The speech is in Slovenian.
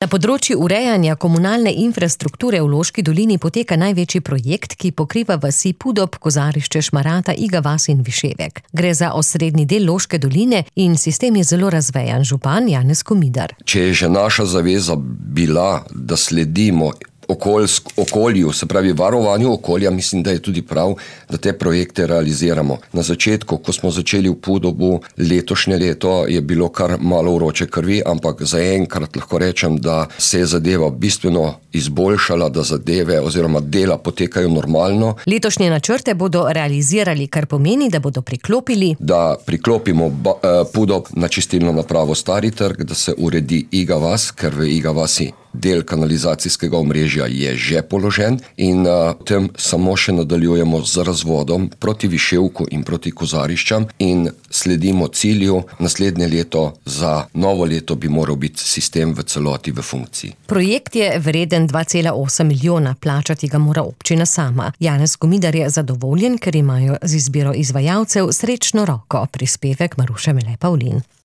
Na področju urejanja komunalne infrastrukture v Loški dolini poteka največji projekt, ki pokriva vasi Pudob, Kozarišče, Šmarata, Iga vas in Viševek. Gre za osrednji del Loške doline in sistem je zelo razvejan. Župan Janez Komidar. Če je že naša zaveza bila, da sledimo okolju, se pravi varovanju okolja, mislim, da je tudi prav, da te projekte realiziramo. Na začetku, ko smo začeli v Pudobu, letošnje leto je bilo kar malo vroče krvi, ampak zaenkrat lahko rečem, da se je zadeva bistveno izboljšala, da zadeve oziroma dela potekajo normalno. Letošnje načrte bodo realizirali, kar pomeni, da bodo priklopimo Pudob na čistilno napravo Stari trg, da se uredi Iga vas, ker v Iga vasi del kanalizacijskega omrežja je že položen in potem samo še nadaljujemo z razvodom proti Viševku in proti Kozariščam in sledimo cilju. Naslednje leto, za novo leto bi moral biti sistem v celoti v funkciji. Projekt je vreden 2,8 milijona, plačati ga mora občina sama. Janez Komidar je zadovoljen, ker imajo z izbiro izvajalcev srečno roko. Prispevek Maruše Mele Pavlin.